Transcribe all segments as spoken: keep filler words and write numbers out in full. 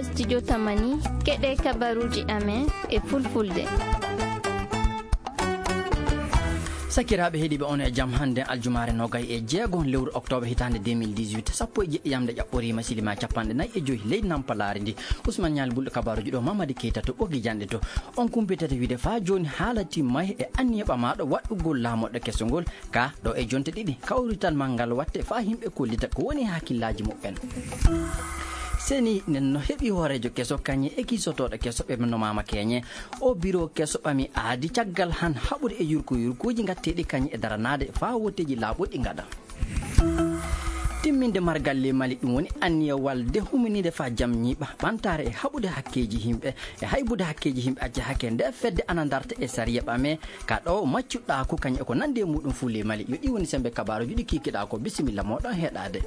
Studio Tamani, keɗe kabaruuji amen e fulfulde. Sakiraaɓe heɗiiɓe, on e jam. Hannde aljumaare noogay e jeego lewru oktoobar hitaande deux mille dix-huit, sappo e jeɗɗi yamnde ƴaɓɓoriima, silima capanɗe nayi e joy leydi nampalaari ndi. Usman Ñaali Bulɗo kabaaruuji ɗo, Mamadi Keyta to ɓoggi janɗe to. On kumpitata wiide faa jooni haala timmay e anniya ɓamaaɗo waɗɗugol laamorɗe keso ngol, ka ɗo e jonte ɗiɗi kawrital maa ngal watte faa yimɓe kollita ko woni e hakkillaaji muɓɓen. Seni nen no heɓi hooreejo keso kañe e kiisotooɗo keso ɓe no Maama Keñe. O biro keso ɓami aadi caggal han haɓude e yurko yurkuuji ngatteeɗi kañe e daranaade faa wotteeji laaɓuɗi ngaɗa. Timminde margal ley Mali, ɗum woni anniya walde huminiinde faa jam ñiiɓa, ɓantaare e haɓude hakkeeji yimɓe, e haybude hakkeeji yimɓe acca hakke nde fedde ana darta e sariya ɓame, ka ɗo maccuɗaa ko kañum e ko nanndi e muɗum fuu ley Mali. Yo ɗi woni semmbe kabaaruuji ɗi kiikiɗaa ko. Bisimilla mooɗon heɗaade.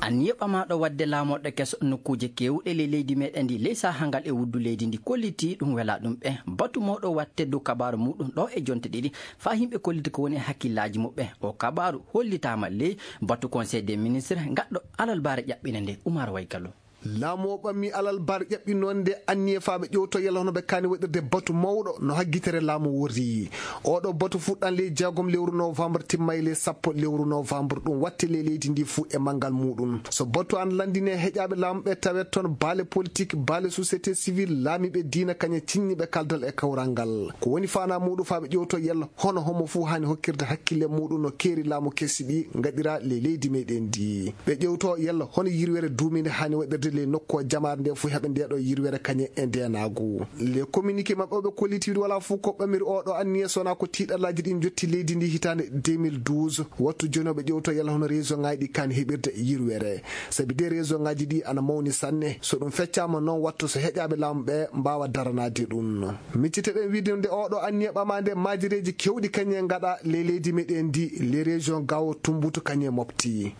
Anniya ɓamaaɗo waɗde laamorɗe keso nokkuuje keewɗe ley leydi meɗen ndi, ley sahaa ngal e wuddu leydi ndi, kollitii ɗum welaa ɗum ɓe. Batu mawɗo watte dow kabaaru muɗum ɗo e jonte ɗiɗi, faa yimɓe kollita ko woni e hakkillaaji muɓɓe. O kabaaru hollitaama ley batu Conseil des ministres gaɗɗo alarbaare ƴaɓɓinde nde. Umar Way Gallo. Laamu o ɓamii alarbaare ƴaɓɓinoonde anniya faa ɓe ƴeewtoo yalla hono ɓe kaani waɗirde batu mawɗo no haggitere laamu worri. Ooɗoo batu fuɗɗan ley jeegom lewru noowambar, timmay ley sappo lewru noowambar, ɗum watte ley leydi ndii fuu e manngal muuɗum. So batu ana lanndinee heƴaaɓe laamu ɓee, tawee toon baale politik, baale sosiyete siwil, laamiiɓe diina kañe cinñiiɓe kaldal e kawral ngal. Ko woni faanaa muuɗum faa ɓe ƴeewtoo yalla hono homo fuu haani hokkirde hakkille muuɗum no keeri laamu kesi ɗii ngaɗiraa ley leydi meɗen ndii. Ɓe ƴeewtoo yalla hono yirwere duumiinde haani waɗirde ley nokku o, jamaare ndee fuu heɓa ndee ɗoo yirwere kañe e ndeenaagu. Le communiqué maɓɓe o ɓe kolliti wiide walaa fuu ko ɓamiri ooɗoo anniya so wanaa ko tiiɗallaaji ɗii njotti leydi ndii hitaande deux mille douze. Wattu jooni o ɓe ƴeewtoo yalla hono région ŋaaji ɗii kaani heɓirde yirwere. Sabi dee région ŋaaji ɗii ana mawni sanne. So ɗum feccaama noon, wattu so heƴaaɓe laamu ɓee mbaawa daranaade ɗum. Miccite-ɗen wiide nde ooɗoo anniya ɓamaande, maajireeji keewɗi kañe ngaɗaa ley leydi meɗen ndii, les régions Gao, Tumboutu kañe Mopti.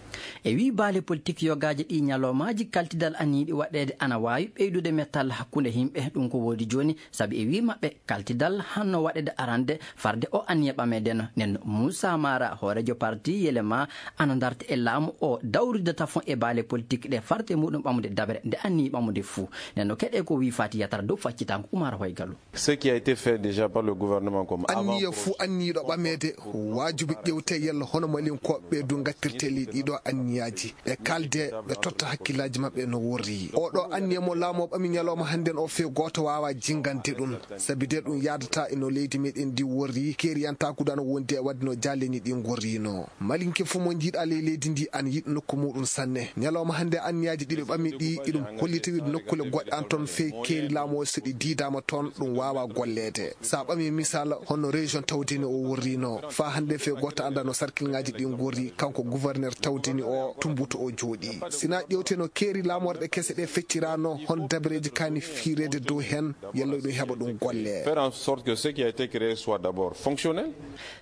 E wii baale politik yogaaji ɗii, ñalawmaaji kaltidal aniiɗi waɗeede ana waawi ɓeydude mettal hakkunde yimɓe. Ɗum ko woodi jooni, sabi e wii maɓɓe kaltidal hanno waɗeede arande farde o anniya ɓameede no. Nden Muusa Maara, hooreejo parti Yelema, ana darta e laamu o dawrida tafon e baale politik ɗe farte muɗum ɓamude daɓere nde anniyii ɓamude fuu. Nden no keɗee ko wii Faati Yatara dow faccitaango Umar Hoy Gallo. Ce qui a été fait déjà par le gouvernement comme avant. Anniya fuu anniyiiɗo ɓameede, waajibi ƴeewtee yalla hono Malinkooɓe ɓee du ngattirtee ley ɗiiɗoo anniyaaji. Ɓe kaaldee, ɓe totta hakkillaaji maɓɓe no worri. Ooɗoo anniya mo laamu o ɓami ñalawma hannden o fee gooto waawaa jinngande ɗum. Sabi dee ɗum yaadataa e no leydi meɗen ndii worri, keeriyantaaku du ana wondi e waɗde no jaaleni ɗii ngorrinoo. Malinke fuu mo njiiɗaa ley leydi ndii ana yiɗi nokku muuɗum sanne. Ñalawma hannde anniyaaji ɗi ɓe ɓami ɗii, iɗum hollita wiide nokkuule goɗɗe ana toon fey keeri laamu o, so ɗi diidaama toon, ɗum waawaa golleede. So a ɓamii misaal, hono région Tawdeni o worrinoo. Faa hannde fey gooto anndaa no sarkilŋaaji ɗii ngorri, kanko gouverneur Tawdeni o, Tumboutu o jooɗii. Si na ƴeewtee no keeri laamoorɗe kese ɗee fecciranoo, hono dabareeji kaani fiireede dow heen, yalla ɗum heɓa ɗum golle. Faire en sorte que ce qui a été créé soit d'abord fonctionnel.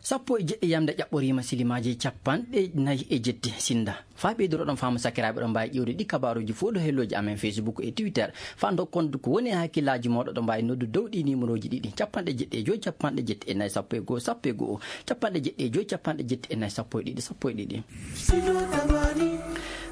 Sappo e jeɗɗi yamnde ƴaɓɓoriima silimaaji capanɗe nayi e jetti sinda. Faa ɓeydoro ɗon faamu sakiraaɓe, ɗon mbaawi ƴeewde ɗi kabaaruuji fow ɗo hellooji amen Facebook e Twitter. Faa ndokkon ko woni e hakkillaaji mooɗon, ɗon mbaawi noddu dow ɗii niimorooji ɗiɗi, capanɗe jeɗɗi e joy, capanɗe jetti e nayi, sappo e go'o, sappo e go'o, capanɗe jeɗɗi e joy, capanɗe jetti e nayi, sappo e ɗiɗi, sappo e ɗiɗi.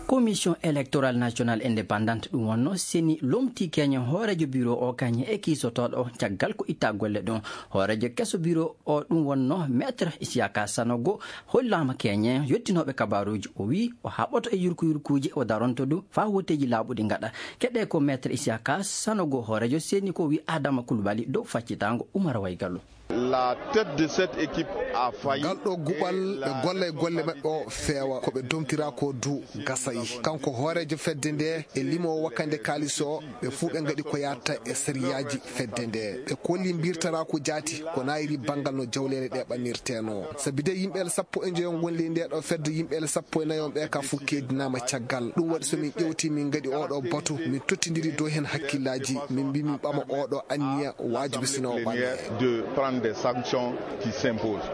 Commission électorale nationale indépendante ɗum wonnoo seni lomtii keñen hooreejo biro o kañe e kiisotooɗo o caggal ko ittaa golle ɗum. Hooreejo keso biro o ɗum wonnoo Maître Isiyaka Sanogo hollaama keñen yottinooɓe kabaaruuji. O wii o haɓoto e yurku yurkuuji, o daronto du faa wotteeji laaɓuɗi ngaɗa. Keɗee ko Maître Isiyaka Sanogo hooreejo seni ko wii Adama Kulbali dow faccitaango Umar Way Gallo. La tête de cette équipe a failli. Ngal ɗoo guɓal ɓe golla e golle maɓɓe o feewa. Ko ɓe domtiraa ko du gasay. Kanko hooreejo fedde ndee e limoowo wakkande kaalis o, ɓe fuu ɓe ngaɗi ko yaata e sariyaaji fedde ndee. Ɓe kolli mbirtaraa ko jaati ko naayiri banngal no jawleeɗe ɗee ɓamirteenoo. Sabi dee yimɓe el sappo e njoyo ngoni ley ndee ɗoo fedde, yimɓe el sappo e nayo ɓee ka fuu keedinaama caggal. Ɗum waɗi so min ƴeewtii, min ngaɗi ooɗoo batu, min tottindiri dow heen hakkillaaji, min mbii min ɓama ooɗoo anniya waajibi sino o ɓamee. De prendre des sanctions qui s'imposent.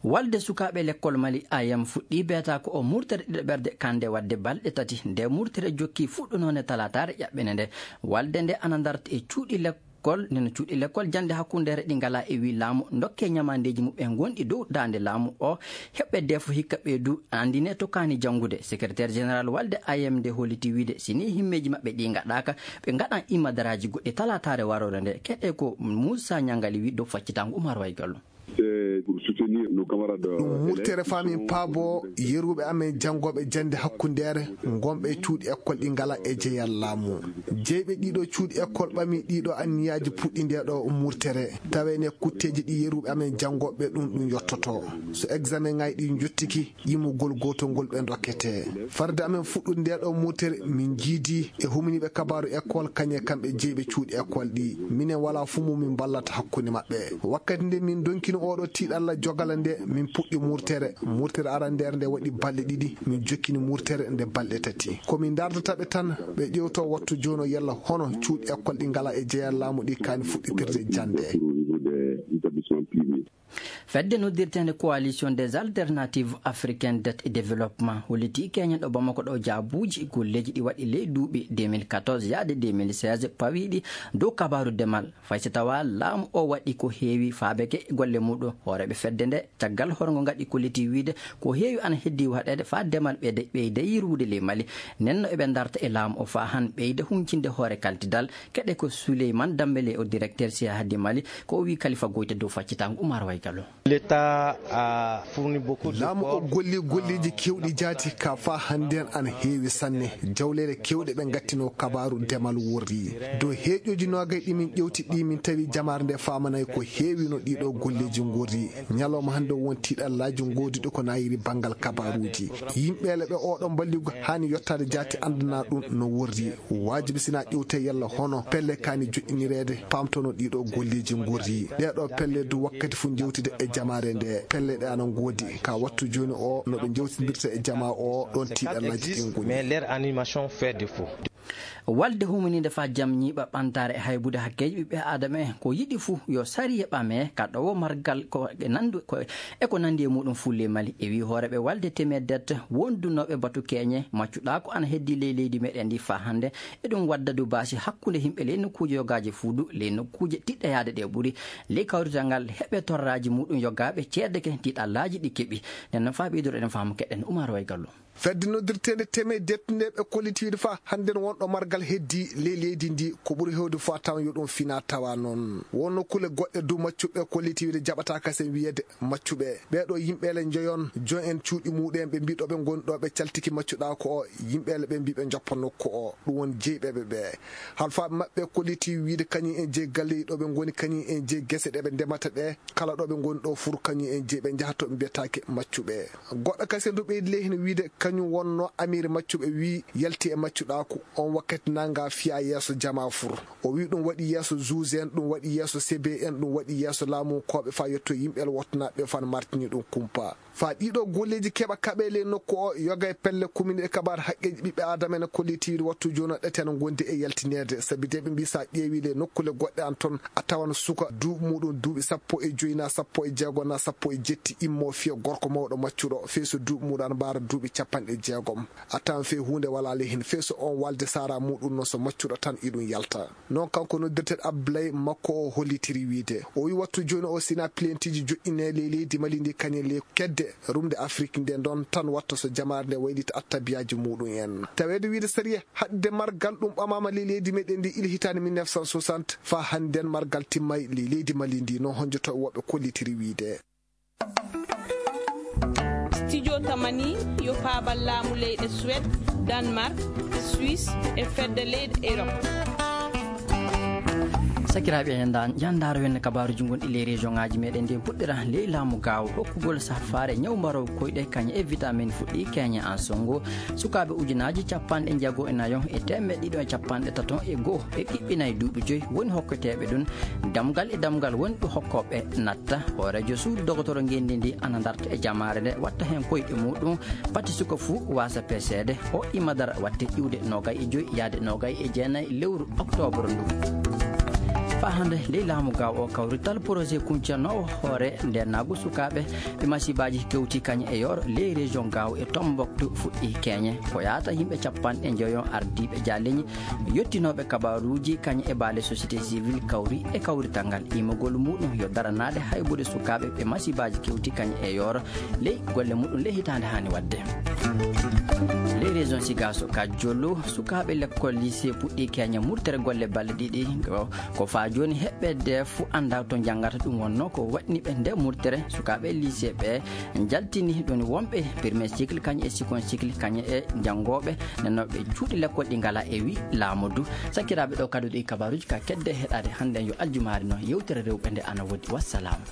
Walde sukaaɓe lekkol Mali, A M, fuɗɗii beetaako o murtere ɗiɗaɓerde kannde waɗde balɗe tati. Nde murtere jokki fuɗɗunoonde talaataare ƴaɓɓende nde. Walde nde ana darta e cuuɗi lekkol Gol nde no cuuɗi lekkol jannde hakkundeere ɗi ngalaa e wii laamu, ndokkee ñamaandeeji muɓɓen gonɗi dow daande laamu oo, heɓɓe defo hikka ɓee duu anndinee tokaani janngude. Sekreteer jeneral walde A M D holliti wiide, si nii himmeeji maɓɓe ɗii ngaɗaaka, ɓe ngaɗan imadaraaji goɗɗi talaataare waroore ndee. Keɗee ko Muusaa Ñangali wii dow faccitaango Umar Waygallu. Ɗum murtere faa min paaboo yeruuɓe amen janngooɓe jannde hakkundeere ngonɓe e cuuɗi ekkol ɗi ngalaa e jeyal laamu. Jeyɓe ɗiiɗoo cuuɗi ekkol ɓamii ɗiiɗoo anniyaaji puɗɗi ndee ɗoo murtere. Tawee ne kutteeji ɗi yeruuɓe amen janngooɓe ɗum ɗum yottotoo. So eksameŋaaji ɗii njottike, yimugol gootol ngol ɓe ndokketee. Farde amen fuɗɗude ndee ɗoo murtere, min njiidii e huminiiɓe kabaaru ekkol kañe kamɓe jeyɓe cuuɗi ekkol ɗii. Minen walaa fuu mo min mballata hakkunde maɓɓe. Wakkati nde min ndonkino oo ɗoo tiiɗalla jogala nde, min puɗɗi murtere. Murtere arandeere nde waɗi balɗe ɗiɗi, min jokkini murtere nde balɗe tati. Ko min ndaardata ɓe tan, ɓe ƴeewtoo wattu jooni oo yalla hono cuuɗi ekkol ɗi ngalaa e jeyal laamu ɗi kaani fuɗɗitirde jannde. Fedde noddirteende Coalition des Alternatives Africaines d'Aide et Développement hollitii Keña ɗo Bamako ɗo jaabuuji golleeji ɗi waɗi ley duuɓi deux mille quatorze yaade deux mille seize pawiiɗi dow kabaaru demal. Fay so tawaa laamu oo waɗi ko heewi faabeke e golle muuɗum, hooreeɓe fedde nde caggal horgo ngaɗi kolliti wiide ko heewi ana heddii waɗeede faa demal ɓeyda, ɓeyda yirwude ley Mali. Nden no eɓe ndarta e laamu oo faa han ɓeyda huncinde hoore kaltidal. Keɗee ko Suleyman Dambele o directeur C A H D Mali, ko o wii Kalifa Goyta dow faccitaango Umar Waygallo. Laamu o gollii golleeji keewɗi jaati ka faa hannden ana heewi sanne. Jawleeɗe keewɗe ɓe ngattinoo kabaaru demal worri. Dow heeƴooji noogay ɗi min ƴewti ɗi min tawi jamaare nde faamanay ko heewi no ɗiiɗoo golleeji ngorri. Ñalawma hannde won tiiɗallaaji ngoodiiɗo ko naayiri banngal kabaaruuji. Yimɓeele ɓe oo ɗoo mballigu haani yottaade jaati anndana ɗum no worri. Waajibi sinaa ƴewtee yalla hono pelle kaani joƴƴinireede paamtono ɗiiɗoo golleeji ngorri. Ɗee ɗoo pelle du wakkati fuu njewtide e jamaare nde. Pelle ɗe ana ngoodi. Ka wattu jooni oo no ɓe njewtindirta e jamaa oo ɗoon tiiɗallaaji ɗin ngoni. Mais leur animation fait défaut. Walde humaniinde faa jam ñiiɓa ɓantaare e haybude hakkeeji ɓiɓɓe aadama en ko yiɗi fuu yo sariya ɓamee ka ɗowo margal ko e nandu ko e ko nanndi e muuɗum fulle Mali e wii hooreeɓe walde temeeddet wondunooɓe batu keeñe maccuɗaaku ana heddii ley leydi meɗen ndi faa hannde. Eɗum wadda du baasi hakkunde yimɓe ley nokkuuje yogaaji fuu du ley nokkuuje tiɗɗayaade ɗe ɓuri. Ley kawrital ngal heɓe torraaji muuɗum yogaaɓe ceedeke tiiɗallaaji ɗi keɓi. Nden no faa ɓeyduɗo eɗen faamu keɗen Umar Waygallo. Fedde noddirteende teme dettunde ɓe kolliti wiide faa hannden wonɗo margal heddii ley leydi ndi ko ɓuri heewde faa tawan yo ɗum finaa tawa noon. Won nokkuule goɗɗe du maccuɓe kolliti wiide jaɓataa kasen wiyeede maccuɓe. Ɓee ɗoo yimɓeele njoyon, jon en cuuɗi muuɗum en ɓe mbii ɗo ɓe ngoni ɗo ɓe caltiki maccuɗaaku o, yimɓeele ɓe mbii ɓe njoppa nokku o. Ɗum woni jeyɓeɓe ɓee. Halfaaɓe maɓɓe kolliti wiide kañum en jeyi galleeji ɗo ɓe ngoni, kañum en jeyi gese ɗe ɓe ndemata ɗee. Kala ɗo ɓe ngoni ɗo fur kañum en jeyi ɓe njaha to ɓe mbiyetaake maccuɓe. Goɗɗo kasen du ɓeydi ley heen wiide kañum wonnoo amiiri maccuɓe wii yalti e maccuɗaaku. On wakkati nanngaa fiyaa yeeso jamaa fur. O wii ɗum waɗi yeeso juge en, ɗum waɗi yeeso C B en, ɗum waɗi yeeso laamunkooɓe faa yetto yimɓe el wottanaaɓe ɓe faa no martini ɗum kumpa. Faa ɗiiɗoo golleeji keɓa kaɓee ley nokku o, yoga e pelle kumini e kabaar haqqeeji ɓiɓɓe aadama ene kolliti wiide wattu jooni o ɗate ana ngondi e yaltineede. Sabi de ɓe mbii so a ƴeewii ley nokkuule goɗɗe an ton, a tawan suka duuɓi muuɗum duuɓi sappo e joy naa sappo e jeego naa sappo e jetti immoo fiya gorko mawɗo maccuɗo, fey so duuɓi muuɗum ana mbaara duuɓi capanɗe jeegom. A tawan fey huunde walaa ley heen, fey so oon walde saaraa muuɗum noon so maccuɗo tan iɗum yalta. Noon kanko noddirteeɗo Abdoulaye makko o hollitiri wiide, o wii wattu jooni o sinaa pilentiiji joƴƴinee ley leydi Mali ndi kañum ley kedde rumde Afrik nde ɗoon tan watta so jamaare nde waylita attabiyaaji muuɗum en. Taweede wiide sariya haɗde margal ɗum ɓamaama ley leydi meɗen ndi ila hitaande mille neuf cent soixante faa hannden margal timmay ley leydi Mali ndi no honjotooɓe woɓɓe kollitiri wiide. Studio Tamani yo paabal laamu leyɗe Suwed, Danmark, Suisse e fedde leyɗe Erop. Sakiraaɓe, en nda-, njanndaaro wenne kabaaruuji gonɗi ley région ŋaaji meɗen ndi puɗɗira ley laamu gaawo hokkugol safaare ñaw mbarow koyɗe kañe e vitamine fuɗɗi keñe en songo. Sukaaɓe ujunaaji capanɗe jeego e nayo e teemeɗɗe ɗiɗi e capanɗe tato e go'o e ɓiɓɓe nayi duuɓi joy woni hokketeeɓe ɗum. Damgal e damgal woni ɗo hokkooɓe natta. Hooreejo suudu dogotoro ngenndi ndi ana darta e jamaare nde watta heen koyɗe muuɗum. Pati suka fuu waasa peseede. O imadara watte iwde noogay e joy yaade noogay e jeenay lewru oktoobar ndu. Faa hannde ley laamu Gaawo oo kawrital porojet kuncanoowo hoore ndeenaagu sukaaɓe ɓe masiibaaji kewti kañe e yooro ley reziyoŋ Gaawo e Tomboktu fuɗɗii keeñe. Ko yaata yimɓe cappanɗe njoyo ardiiɓe jaaleñi yottinooɓe kabaaruuji kañe e baale sosiyete siwil kawri e kawrital ngal. Immagol muuɗum yo daranaade haybude sukaaɓe ɓe masiibaaji kewti kañe e yooro ley golle muuɗum ley hitaande haani waɗde. Ley reziyoŋ Sigaso ka Jollo, sukaaɓe lekkol liisee puɗɗii keeñe murtere golle balɗe ɗiɗi. Ko, ko faa jooni heɓɓe dee fuu anndaa to njanngata. Ɗum wonnoo ko waɗni ɓe ndee murtere. Sukaaɓe liisee ɓee njaltini ɗum wonɓe premier cycle kañe e second cycle kañe e janngooɓe. Nden noon ɓe cuuɗi lekkol ɗi ngalaa e wii laamu du. Sakiraaɓe, ɗo kadi ɗi kabaaruuji ka kedde heɗaade hannde yo aljumaare noon yewtere rewɓe nde ana woodi. Wassalaamu.